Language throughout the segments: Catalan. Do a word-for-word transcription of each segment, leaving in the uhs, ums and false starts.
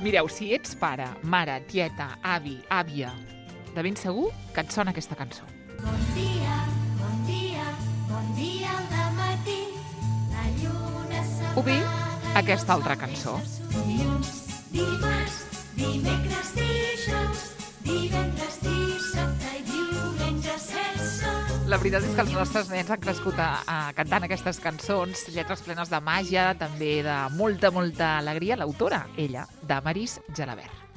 Mireu, si ets pare, mare, tieta, avi, àvia, de ben segur que et sona aquesta cançó. Bon dia, bon dia, bon dia al dematí, la lluna s'apaga... O bé, aquesta altra cançó. Dilluns, dimarts, dimecres, dijous, divendres, dissabte i diumenge sense... La veritat és que els nostres nens han crescut a, a cantant aquestes cançons, lletres plenes de màgia, també de molta, molta alegria. L'autora, ella, Damaris Gelabert.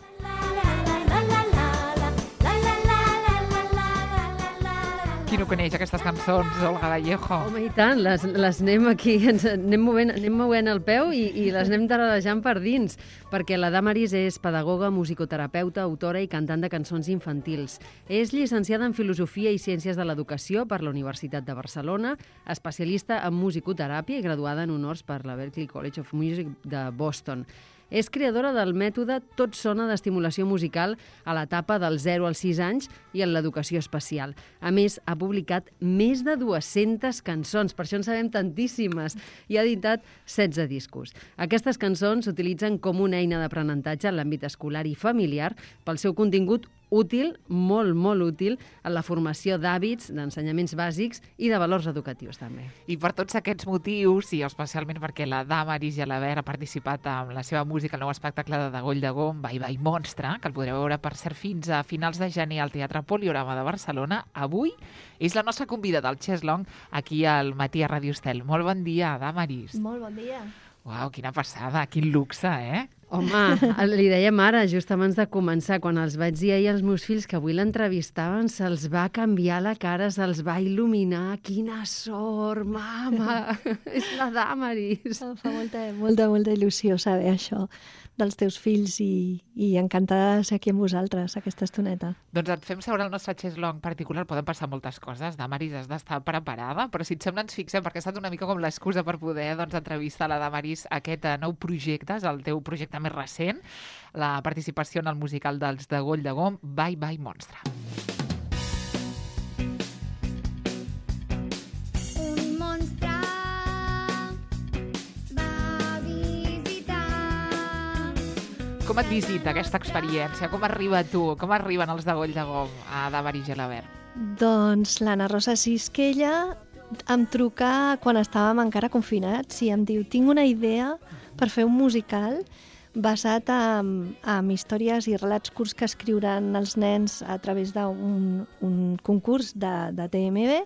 Qui no coneix aquestes cançons, Olga Vallejo? Home, i tant, les, les anem aquí, ens anem movent, anem movent el peu i, i les anem taradejant per dins, perquè la Damaris és pedagoga, musicoterapeuta, autora i cantant de cançons infantils. És llicenciada en Filosofia i Ciències de l'Educació per la Universitat de Barcelona, especialista en musicoteràpia i graduada en honors per la Berklee College of Music de Boston. És creadora del mètode Tot sona d'estimulació musical a l'etapa dels zero als sis anys i en l'educació especial. A més, ha publicat més de dues-centes cançons, per això en sabem tantíssimes, i ha editat setze discos. Aquestes cançons s'utilitzen com una eina d'aprenentatge en l'àmbit escolar i familiar pel seu contingut útil, molt, molt útil, en la formació d'hàbits, d'ensenyaments bàsics i de valors educatius, també. I per tots aquests motius, i especialment perquè la Damaris Gelabert ha participat amb la seva música al nou espectacle de Dagoll de Gom, Bye Bye Monstre, que el podreu veure, per cert, fins a finals de gener al Teatre Poliorama de Barcelona, avui és la nostra convidada al Cheslong aquí al Matí a Ràdio Estel. Molt bon dia, Damaris. Molt bon dia. Uau, quina passada, quin luxe, eh? Home, li dèiem ara, just abans de començar, quan els vaig dir ahir als meus fills que avui l'entrevistaven, se'ls va canviar la cara, se'ls va il·luminar. Quina sort, mama! És la Damaris. Em fa molta, molta, molta il·lusió saber això dels teus fills i, i encantada de ser aquí amb vosaltres aquesta estoneta. Doncs et fem seure el nostre Cheslong particular. Poden passar moltes coses. Damaris, has d'estar preparada, però si et sembla ens fixem, perquè ha estat una mica com l'excusa per poder doncs, entrevistar la Damaris a aquest nou projecte, és el teu projecte més recent, la participació en el musical dels Dagoll de Gom, Bye Bye Monstre. Un monstre va visitar... Com et visita aquesta experiència? Com arriba tu? Com arriben els Dagoll de Gom a Damaris Gelabert? Doncs l'Anna Rosa Sisquella em truca quan estàvem encara confinats i em diu: tinc una idea per fer un musical basat en, en històries i relats curts que escriuran els nens a través d'un un concurs de, de T M B,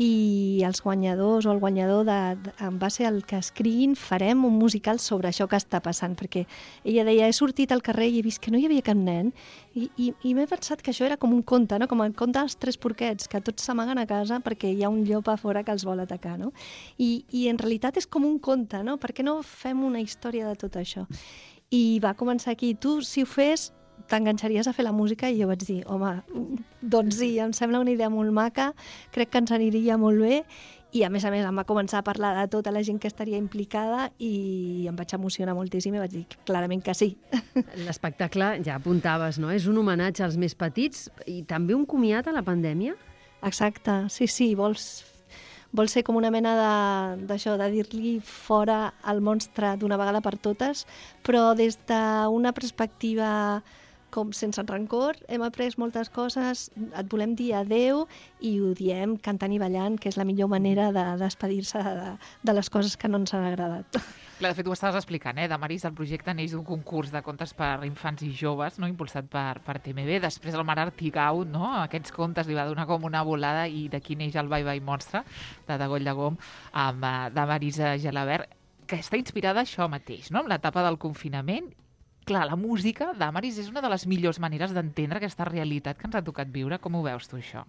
i els guanyadors o el guanyador de, de, en base al que escriguin farem un musical sobre això que està passant, perquè ella deia: he sortit al carrer i he vist que no hi havia cap nen i, i, i m'he pensat que això era com un conte, no? Com el conte dels tres porquets, que tots s'amaguen a casa perquè hi ha un llop a fora que els vol atacar, no? I, i en realitat és com un conte, no? Per què no fem una història de tot això? I va començar aquí: tu, si ho fes, t'enganxaries a fer la música? I jo vaig dir: home, doncs sí, em sembla una idea molt maca, crec que ens aniria molt bé. I a més a més em va començar a parlar de tota la gent que estaria implicada i em vaig emocionar moltíssim i vaig dir clarament que sí. L'espectacle, ja apuntaves, no? És un homenatge als més petits i també un comiat a la pandèmia? Exacte, sí, sí, vols, vols ser com una mena de, d'això, de dir-li fora al monstre d'una vegada per totes, però des d'una perspectiva com sense rancor. Hem après moltes coses, et volem dir adeu i ho diem cantant i ballant, que és la millor manera de despedir-se de, de les coses que no ens han agradat. Clar, de fet, ho estaves explicant, eh? Damaris, el projecte neix d'un concurs de contes per infants i joves, no? Impulsat per, per T M B. Després el Mar Artigau, no? Aquests contes li va donar com una volada i d'aquí neix el Bye Bye Monstre, de Dagoll de Gom, amb uh, Damaris Gelabert, que està inspirada això mateix, no? Amb l'etapa del confinament. Clar, la música, Damaris, és una de les millors maneres d'entendre aquesta realitat que ens ha tocat viure. Com ho veus tu, això?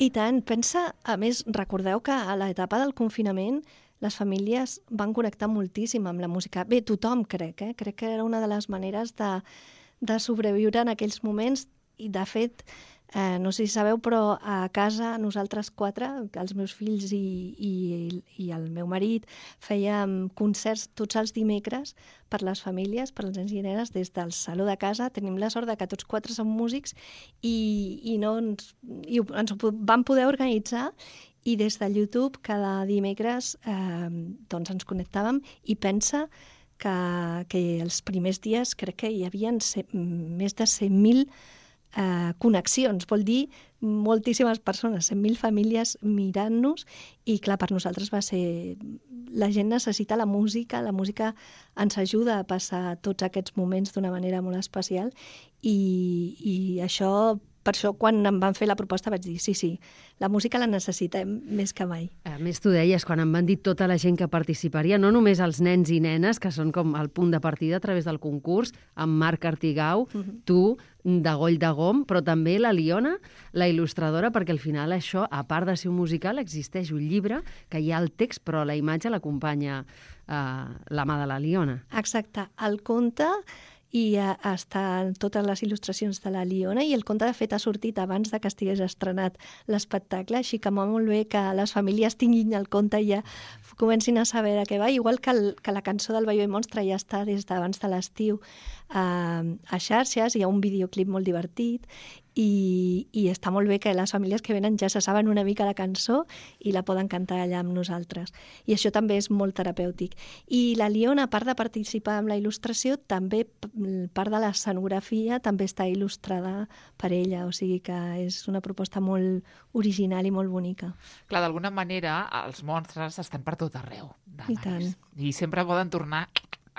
I tant. Pensa, a més, recordeu que a l'etapa del confinament les famílies van connectar moltíssim amb la música. Bé, tothom, crec, eh? Crec que era una de les maneres de, de sobreviure en aquells moments i, de fet, eh, no sé si sabeu, però a casa nosaltres quatre, els meus fills i, i, i el meu marit, fèiem concerts tots els dimecres per les famílies, per als nens i nenes, des del saló de casa. Tenim la sort de que tots quatre som músics i, i, no ens, i ens ho vam poder organitzar. I des de YouTube cada dimecres eh, doncs ens connectàvem i pensa que, que els primers dies crec que hi havia més de cent mil eh, connexions, vol dir moltíssimes persones, cent mil famílies mirant-nos, i clar, per nosaltres va ser... La gent necessita la música, la música ens ajuda a passar tots aquests moments d'una manera molt especial, i, i això, per això quan em van fer la proposta vaig dir sí, sí, la música la necessitem més que mai. A més, tu deies, quan em van dir tota la gent que participaria, no només els nens i nenes, que són com el punt de partida a través del concurs, amb Marc Artigau, uh -huh. tu, de Goll de Gom, però també la Liona, la il·lustradora, perquè al final això, a part de ser un musical, existeix un llibre que hi ha el text, però la imatge l'acompanya eh, la mà de la Liona. Exacte. El conte i eh, estan totes les il·lustracions de la Liona, i el conte, de fet, ha sortit abans de que estigués estrenat l'espectacle, així que molt bé que les famílies tinguin el conte i ja comencin a saber de què va, igual que, el, que la cançó del Ball Ball Monstre ja està des d'abans de l'estiu eh, a xarxes, hi ha un videoclip molt divertit, i, i està molt bé que les famílies que venen ja se saben una mica la cançó i la poden cantar allà amb nosaltres. I això també és molt terapèutic. I la Liona, a part de participar amb la il·lustració, també part de l'escenografia també està il·lustrada per ella, o sigui que és una proposta molt original i molt bonica. Clar, d'alguna manera els monstres estan per tot arreu. I tant. I sempre poden tornar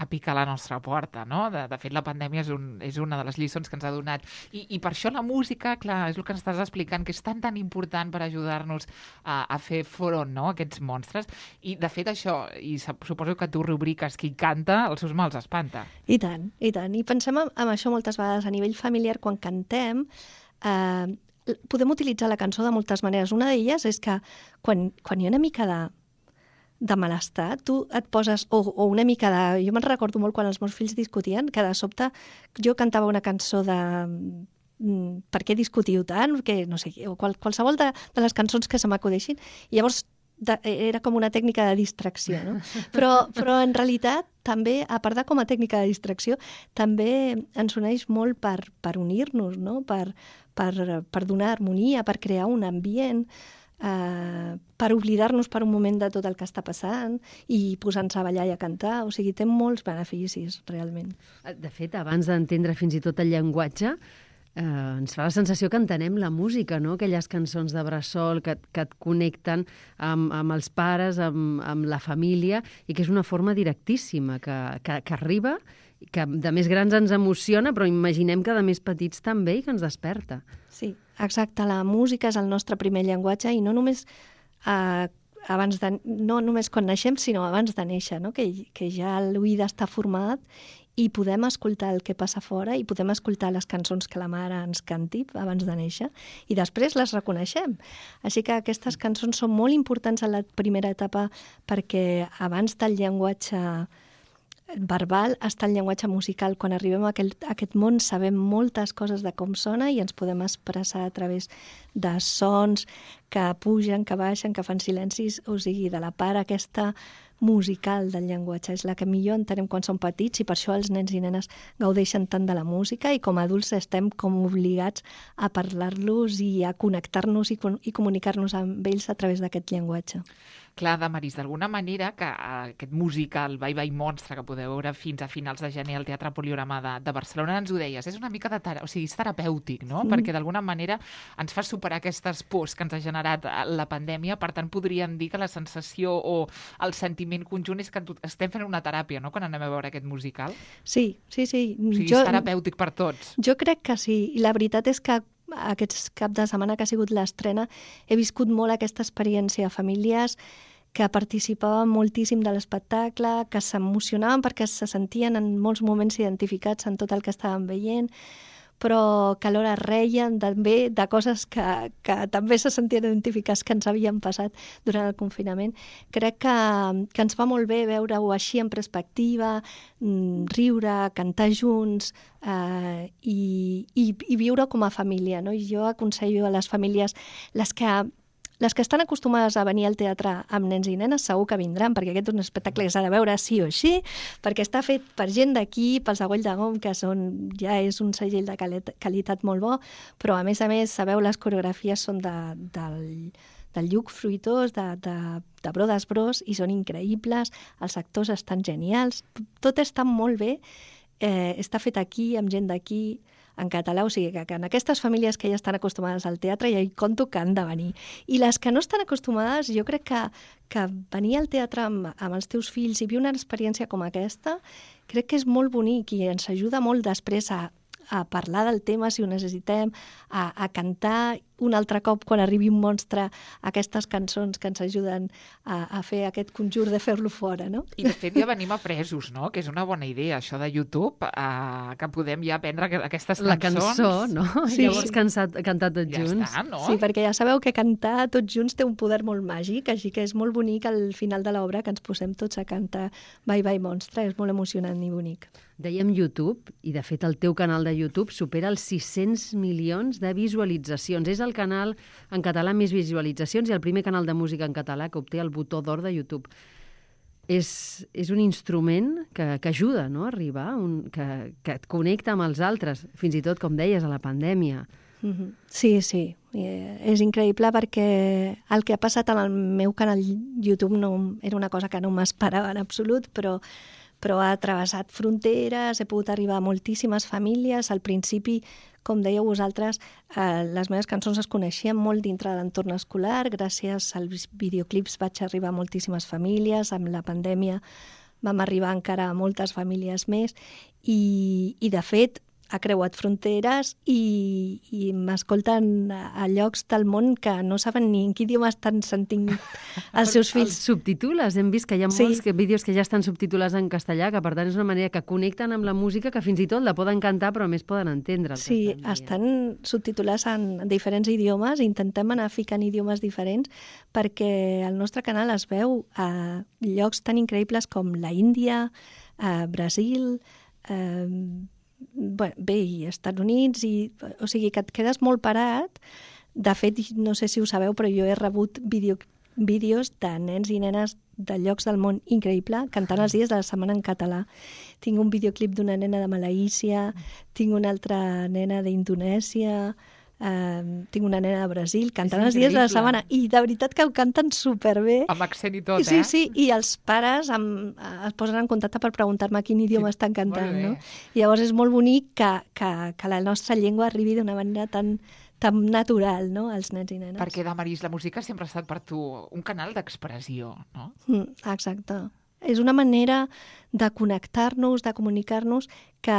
a picar a la nostra porta, no? De, de fet, la pandèmia és, un, és una de les lliçons que ens ha donat. I, I per això la música, clar, és el que ens estàs explicant, que és tan, tan important per ajudar-nos a, a fer front, no?, a aquests monstres. I, de fet, això, i suposo que tu rubriques qui canta, els seus mals espanta. I tant, i tant. I pensem en, en això moltes vegades a nivell familiar, quan cantem, eh, podem utilitzar la cançó de moltes maneres. Una d'elles és que quan, quan hi ha una mica de de malestar, tu et poses, o, o una mica de... Jo me'n recordo molt quan els meus fills discutien, que de sobte jo cantava una cançó de mm, per què discutiu tant, que no sé, o qual, qualsevol de, de les cançons que se m'acudeixin, i llavors de, era com una tècnica de distracció, no? Però, però en realitat també, a part de com a tècnica de distracció, també ens uneix molt per, per unir-nos, no? Per, per, per donar harmonia, per crear un ambient, Uh, per oblidar-nos per un moment de tot el que està passant i posar-nos a ballar i a cantar. O sigui, té molts beneficis, realment. De fet, abans d'entendre fins i tot el llenguatge, eh, ens fa la sensació que entenem la música, no? Aquelles cançons de bressol que, que et connecten amb, amb els pares, amb, amb la família, i que és una forma directíssima, que, que, que arriba, que de més grans ens emociona, però imaginem que de més petits també, i que ens desperta. Sí, exacte. La música és el nostre primer llenguatge, i no només, eh, abans de, no només quan naixem, sinó abans de néixer, no? que, que ja l'oïda està format i podem escoltar el que passa fora i podem escoltar les cançons que la mare ens canti abans de néixer, i després les reconeixem. Així que aquestes cançons són molt importants en la primera etapa, perquè abans del llenguatge verbal està el llenguatge musical. Quan arribem a aquest, a aquest món sabem moltes coses de com sona i ens podem expressar a través de sons que pugen, que baixen, que fan silencis, o sigui, de la part aquesta musical del llenguatge. És la que millor entenem quan som petits, i per això els nens i nenes gaudeixen tant de la música, i com a adults estem com obligats a parlar-los i a connectar-nos i, i comunicar-nos amb ells a través d'aquest llenguatge. Clar, Damaris, d'alguna manera que aquest musical Ball Ball Monstre que podeu veure fins a finals de gener al Teatre Poliorama de, de Barcelona, ens ho deies, és una mica de tera... o sigui, és terapèutic, no? Mm. Perquè d'alguna manera ens fa superar aquestes pors que ens ha generat la pandèmia. Per tant, podríem dir que la sensació o el sentiment conjunt és que estem fent una teràpia, no?, quan anem a veure aquest musical. Sí, sí, sí. O sigui, jo, és terapèutic per tots. Jo crec que sí, i la veritat és que aquests cap de setmana que ha sigut l'estrena he viscut molt aquesta experiència. Famílies que participaven moltíssim de l'espectacle, que s'emocionaven perquè se sentien en molts moments identificats en tot el que estaven veient, però que alhora reien també de coses que, que també se sentien identificats que ens havien passat durant el confinament. Crec que, que ens va molt bé veure-ho així en perspectiva, riure, cantar junts eh, i, i, i viure com a família, no? I jo aconsello a les famílies, les que Les que estan acostumades a venir al teatre amb nens i nenes segur que vindran, perquè aquest és un espectacle que s'ha de veure sí o sí, perquè està fet per gent d'aquí, pels de Goll de Gom, que són, ja és un segell de qualitat molt bo, però a més a més, sabeu, les coreografies són de, del, del Lluc Fruitós, de, de, de Brodes Bros, i són increïbles, els actors estan genials, tot està molt bé, eh, està fet aquí, amb gent d'aquí, en català, o sigui que, que en aquestes famílies que ja estan acostumades al teatre ja hi conto que han de venir. I les que no estan acostumades, jo crec que, que venir al teatre amb, amb els teus fills i viure una experiència com aquesta, crec que és molt bonic i ens ajuda molt després a, a parlar del tema si ho necessitem, a, a cantar un altre cop quan arribi un monstre aquestes cançons que ens ajuden a, a fer aquest conjur de fer-lo fora, no? I de fet ja venim apresos, no? Que és una bona idea, això de YouTube, eh, que podem ja aprendre aquestes La cançons. cançó, no? Sí. I llavors cansat, cantar tots Ja junts. està, no? Sí, perquè ja sabeu que cantar tots junts té un poder molt màgic, així que és molt bonic al final de l'obra que ens posem tots a cantar Bye Bye Monstre, és molt emocionant i bonic. Dèiem YouTube, i de fet el teu canal de YouTube supera els sis-cents milions de visualitzacions. És el canal en català amb més visualitzacions i el primer canal de música en català que obté el botó d'or de YouTube. És, és un instrument que, que ajuda, no?, a arribar, un, que, que et connecta amb els altres, fins i tot, com deies, a la pandèmia. Mm-hmm. Sí, sí, eh, és increïble perquè el que ha passat en el meu canal YouTube no, era una cosa que no m'esperava en absolut, però però ha travessat fronteres, he pogut arribar a moltíssimes famílies. Al principi, com dèieu vosaltres, eh, les meves cançons es coneixien molt dintre de l'entorn escolar, gràcies als videoclips vaig arribar a moltíssimes famílies, amb la pandèmia vam arribar encara a moltes famílies més i, i de fet, ha creuat fronteres i, i m'escolten a llocs del món que no saben ni en quin idioma estan sentint els seus fills. Els subtitules, hem vist que hi ha Sí. molts que, vídeos que ja estan subtitulats en castellà, que per tant és una manera que connecten amb la música, que fins i tot la poden cantar però a més poden entendre. El que Sí, estan dient. estan subtitulats en diferents idiomes, intentem anar ficant idiomes diferents perquè el nostre canal es veu a llocs tan increïbles com la Índia, a Brasil, eh, bé, bé, i Estats Units, i, o sigui que et quedes molt parat. De fet, no sé si ho sabeu, però jo he rebut vídeo, vídeos de nens i nenes de llocs del món increïble cantant els dies de la setmana en català. Tinc un videoclip d'una nena de Malaísia, tinc una altra nena d'Indonèsia, Uh, tinc una nena de Brasil cantant els dies de la increïble. setmana i de veritat que ho canten superbé. Amb accent i tot, Sí, eh? sí, i els pares em, es posen en contacte per preguntar-me quin idioma Sí, estan cantant, molt bé. no? I llavors és molt bonic que, que, que la nostra llengua arribi d'una manera tan, tan natural, no?, als nens i nenes. Perquè, Damaris, la música sempre ha estat per tu un canal d'expressió, no? Mm, exacte. És una manera de connectar-nos, de comunicar-nos, que,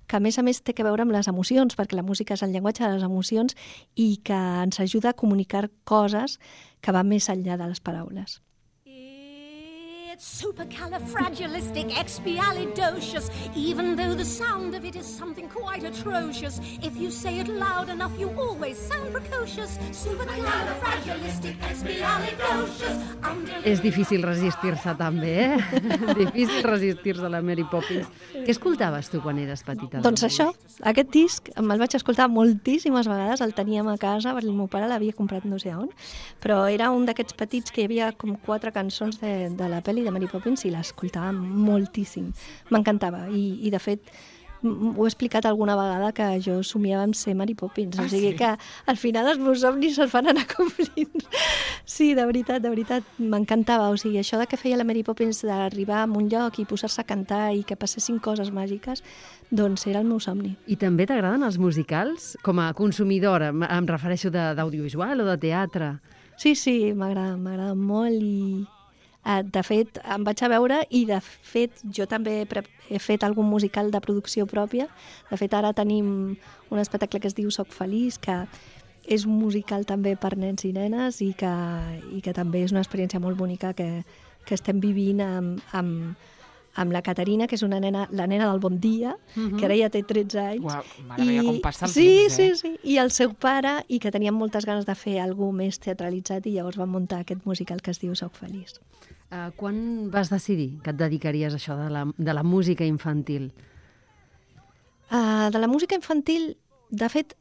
que a més a més té que veure amb les emocions, perquè la música és el llenguatge de les emocions i que ens ajuda a comunicar coses que van més enllà de les paraules. It's supercalifragilisticexpialidocious, even though the sound of it is something quite atrocious. If you say it loud enough, you always sound precocious. Supercalifragilisticexpialidocious. És difícil resistir-se també, eh? Difícil resistir-se a la Mary Poppins. Què escoltaves tu quan eres petita? Doncs això, aquest disc me'l vaig escoltar moltíssimes vegades, el teníem a casa, perquè el meu pare l'havia comprat no sé on, però era un d'aquests petits que hi havia com quatre cançons de, de la pel·li de Mary Poppins i l'escoltava moltíssim. M'encantava i, i de fet m- ho he explicat alguna vegada que jo somiava amb ser Mary Poppins, Ah, o sigui sí? que al final els meus somnis es van anar complint. Sí, de veritat, de veritat, m'encantava. O sigui, això de que feia la Mary Poppins d'arribar a un lloc i posar-se a cantar i que passessin coses màgiques, doncs era el meu somni. I també t'agraden els musicals? Com a consumidora, em em refereixo de- d'audiovisual o de teatre? Sí, sí, m'agrada, m'agrada molt i eh, de fet em vaig a veure i de fet jo també he, pre he fet algun musical de producció pròpia. De fet ara tenim un espectacle que es diu Soc feliç, que és un musical també per nens i nenes i que, i que també és una experiència molt bonica que, que estem vivint amb, amb, amb la Caterina, que és una nena, la nena del Bon Dia, Mhm. que ara ja té tretze anys. Uau, mare meva, com passa el sí, temps, eh? Sí, sí, i el seu pare, i que tenien moltes ganes de fer alguna més teatralitzat i llavors van muntar aquest musical que es diu Soc feliç. Uh, quan vas decidir que et dedicaries a això de la, de la música infantil? Uh, de la música infantil, de fet,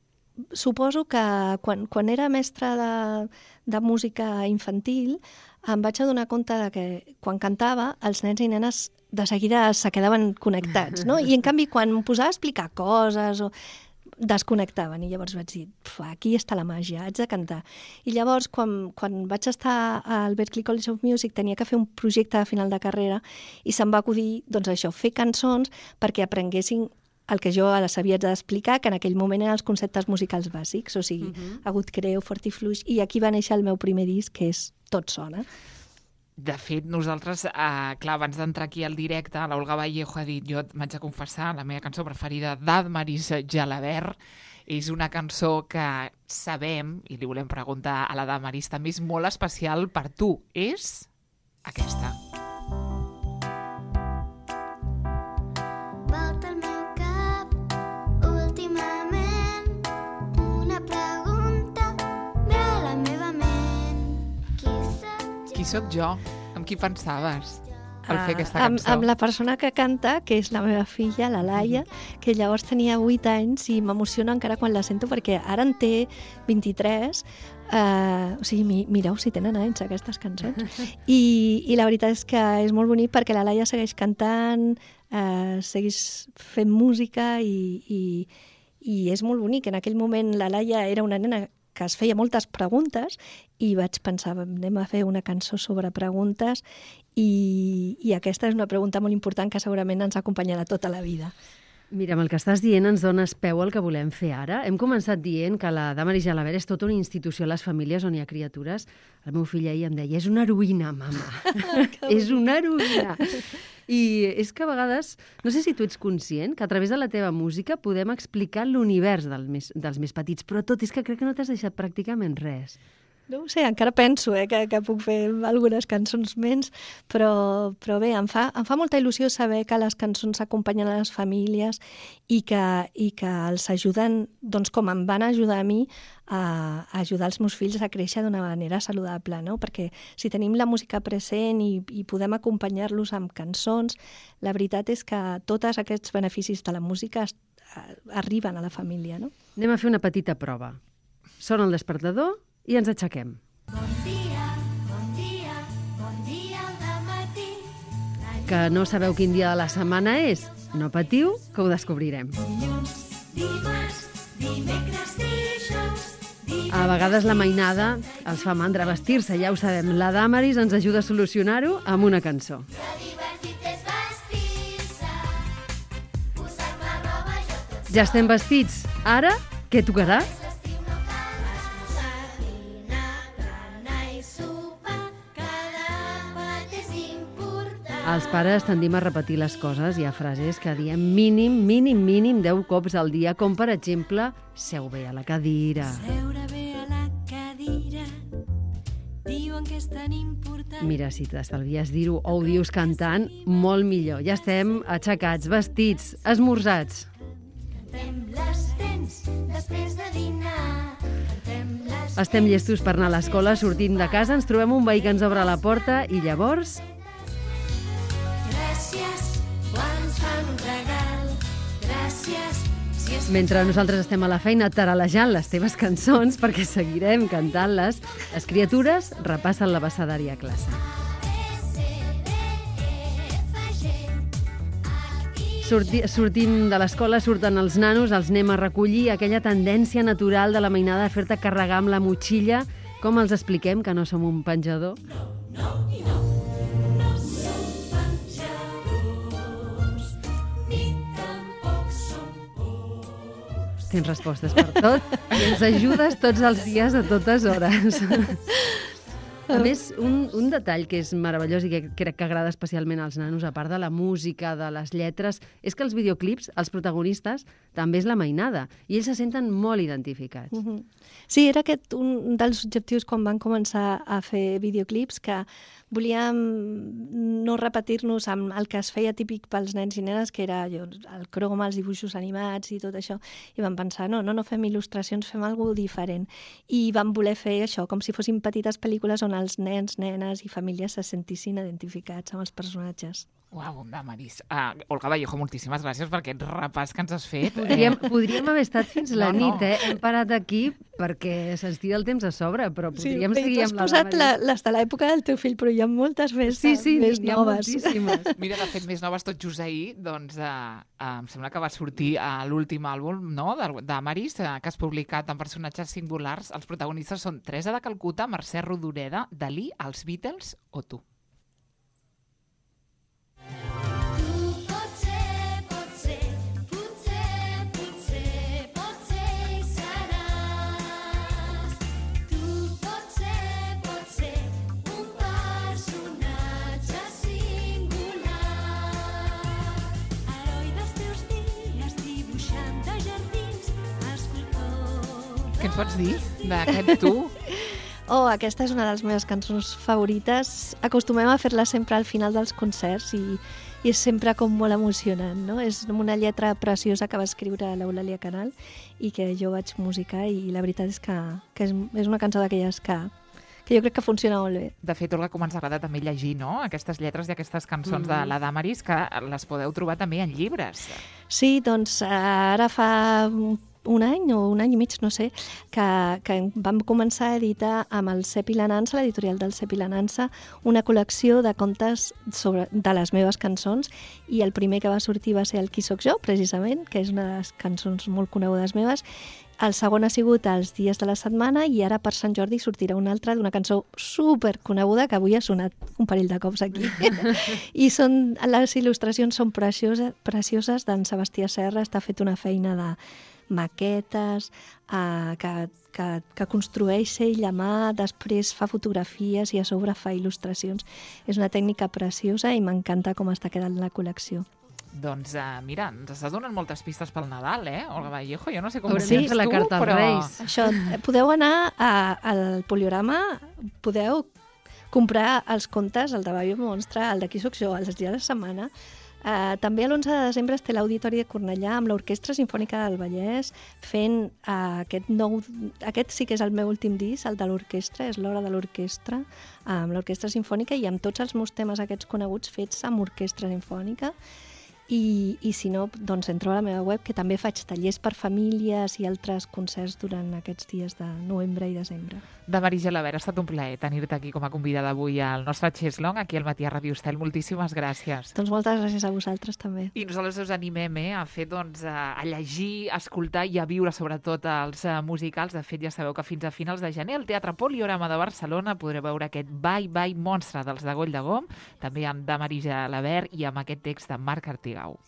suposo que quan, quan era mestra de, de música infantil em vaig adonar compte de que quan cantava els nens i nenes de seguida se quedaven connectats, no? I en canvi quan em posava a explicar coses o desconnectaven, i llavors vaig dir, aquí està la màgia, haig de cantar. I llavors, quan, quan vaig estar al Berklee College of Music, tenia que fer un projecte de final de carrera i se'm va acudir, doncs això, fer cançons perquè aprenguessin el que jo ara sabia d'explicar, que en aquell moment eren els conceptes musicals bàsics, o sigui, uh-huh. agut, creu, fort i fluix, i aquí va néixer el meu primer disc, que és Tot sona. De fet, nosaltres, eh, clar, abans d'entrar aquí al directe, l'Olga Vallejo ha dit, jo m'haig de confessar, la meva cançó preferida d'Admaris Gelabert és una cançó que sabem, i li volem preguntar a la Damaris, també és molt especial per tu. És aquesta. Volta el meu cap, últimament, una pregunta ve a la meva ment. Qui soc Qui sóc jo? Amb qui pensaves al fer aquesta amb, cançó? amb la persona que canta, que és la meva filla, la Laia, que llavors tenia vuit anys i m'emociona encara quan la sento perquè ara en té vint-i-tres. Uh, o sigui, mi, mireu si tenen anys aquestes cançons. I, I la veritat és que és molt bonic perquè la Laia segueix cantant, uh, segueix fent música i, i, i és molt bonic. En aquell moment la Laia era una nena que es feia moltes preguntes i vaig pensar, anem a fer una cançó sobre preguntes i, i aquesta és una pregunta molt important que segurament ens acompanyarà tota la vida. Mira, amb el que estàs dient ens dones peu al que volem fer ara. Hem començat dient que la Damaris Gelabert és tota una institució a les famílies on hi ha criatures. El meu fill ahir em deia, és una heroïna, mama. És una heroïna. I és que a vegades, no sé si tu ets conscient que a través de la teva música podem explicar l'univers del més, dels més petits, però tot és que crec que no t'has deixat pràcticament res. No ho sé, encara penso eh, que, que puc fer algunes cançons menys, però, però bé, em fa, em fa molta il·lusió saber que les cançons acompanyen a les famílies i que, i que els ajuden, doncs com em van ajudar a mi, a, a ajudar els meus fills a créixer d'una manera saludable, no? Perquè si tenim la música present i, i podem acompanyar-los amb cançons, la veritat és que tots aquests beneficis de la música es, arriben a la família, no? Anem a fer una petita prova. Sona el despertador i ens aixequem. Bon dia, bon dia, bon dia al dematí. Que no sabeu quin dia de la setmana és? No patiu, que ho descobrirem. Dilluns, dimarts, dimecres, dijous, divendres... A vegades la mainada els fa mandra vestir-se, ja ho sabem. La Damaris ens ajuda a solucionar-ho amb una cançó. Que divertit és vestir-se, posar-me roba jo tot. Ja estem vestits. Ara, què tocarà? L'estiu no cal esmorzar, dinar, berenar i sopar, cada pat és important. Els pares tendim a repetir les coses. Hi ha frases que diem mínim, mínim, mínim deu cops al dia, com per exemple, seu bé a la cadira. Seure bé a la cadira, diuen que és tan important. Mira, si t'estalvies dir-ho o ho dius cantant, molt millor. Ja estem aixecats, vestits, esmorzats. Cantem les dents després de dinar. Cantem les Estem llestos per anar a l'escola, sortint de casa, ens trobem un veí que ens obre la porta i llavors... gràcies quan ens fan un regal. Gràcies si és Mentre nosaltres estem a la feina taralejant les teves cançons, perquè seguirem cantant-les, les criatures repassen l'abecedari a classe. Sorti, sortim de l'escola, surten els nanos, els anem a recollir, aquella tendència natural de la mainada a fer-te carregar amb la motxilla. Com els expliquem que no som un penjador? Tens respostes per tot i ens ajudes tots els dies a totes hores. A més, un, un detall que és meravellós i que crec que agrada especialment als nanos, a part de la música, de les lletres, és que els videoclips, els protagonistes, també és la mainada, i ells se senten molt identificats. Mm-hmm. Sí, era aquest un dels objectius quan van començar a fer videoclips, que volíem no repetir-nos amb el que es feia típic pels nens i nenes, que era allò, el croma, els dibuixos animats i tot això, i vam pensar, no, no, no fem il·lustracions, fem alguna cosa diferent. I vam voler fer això, com si fossin petites pel·lícules on els nens, nenes i famílies se sentissin identificats amb els personatges. Uau, Damaris. Uh, Olga Vallejo, moltíssimes gràcies per aquest repàs que ens has fet. Podríem, podríem haver estat fins la No, no. nit, eh? Hem parat aquí perquè se'ns tira el temps a sobre, però podríem bé, seguir tu has amb la posat Damaris. la, les de l'època del teu fill, però jo ha moltes més, Sí, sí, més n'hi ha noves. moltíssimes. Mira, de fet, més noves tot just ahir, doncs eh, eh, em sembla que va sortir a l'últim àlbum, no?, de- d'Amaris, eh, que has publicat en personatges singulars. Els protagonistes són Teresa de Calcuta, Mercè Rodoreda, Dalí, els Beatles o tu. Tu potser, potser, potser, potser, potser hi seràs. Tu potser, potser, un personatge singular. Heroi dels teus dies, dibuixant de jardins, escultor. Què ens pots dir d'aquest tu? Oh, aquesta és una de les meves cançons favorites. Acostumem a fer-la sempre al final dels concerts i, i és sempre com molt emocionant, no? És una lletra preciosa que va escriure l'Eulàlia Canal i que jo vaig musicar i la veritat és que, que és, és una cançó d'aquelles que, que jo crec que funciona molt bé. De fet, Olga, com ens agrada també llegir, no?, aquestes lletres i aquestes cançons de la Damaris, que les podeu trobar també en llibres. Sí, doncs ara fa un any o un any i mig, no sé, que, que vam començar a editar amb el Cep i la Nansa, l'editorial del Cep i la Nansa, una col·lecció de contes sobre, de les meves cançons, i el primer que va sortir va ser el Qui soc jo, precisament, que és una de les cançons molt conegudes meves. El segon ha sigut Els dies de la setmana i ara per Sant Jordi sortirà una altra d'una cançó superconeguda que avui ha sonat un parell de cops aquí. I són, les il·lustracions són precioses, precioses d'en Sebastià Serra, està fet una feina de maquetes, eh, que, que, que construeix ell a mà, després fa fotografies i a sobre fa il·lustracions. És una tècnica preciosa i m'encanta com està quedant la col·lecció. Doncs uh, mira, ens estàs donant moltes pistes pel Nadal, eh, Olga Vallejo? Jo no sé com Haurem ho de tens fer la tu, carta als però... Reis. Això, eh, podeu anar a, al Poliorama, podeu comprar els contes, el de Babi Monstre, el de Qui soc jo, els dies de setmana. Uh, també l'onze de desembre es té l'Auditori de Cornellà amb l'Orquestra Simfònica del Vallès fent uh, aquest nou... Aquest sí que és el meu últim disc, el de l'orquestra, és l'hora de l'orquestra, amb l'Orquestra Simfònica i amb tots els meus temes aquests coneguts fets amb orquestra simfònica. I, i si no, doncs entro a la meva web, que també faig tallers per famílies i altres concerts durant aquests dies de novembre i desembre. Damaris Gelabert, ha estat un plaer tenir-te aquí com a convidada avui al nostre Cheslong, aquí al Matí a Ràdio Estel. Moltíssimes gràcies. Doncs moltes gràcies a vosaltres també. I nosaltres us animem eh, a fer, doncs, a, a llegir, a escoltar i a viure sobretot els uh, musicals. De fet, ja sabeu que fins a finals de gener al Teatre Poliorama de Barcelona podreu veure aquest Bye Bye Monstre dels de Goll de Gom, també amb Damaris Gelabert i amb aquest text de Marc Artigau.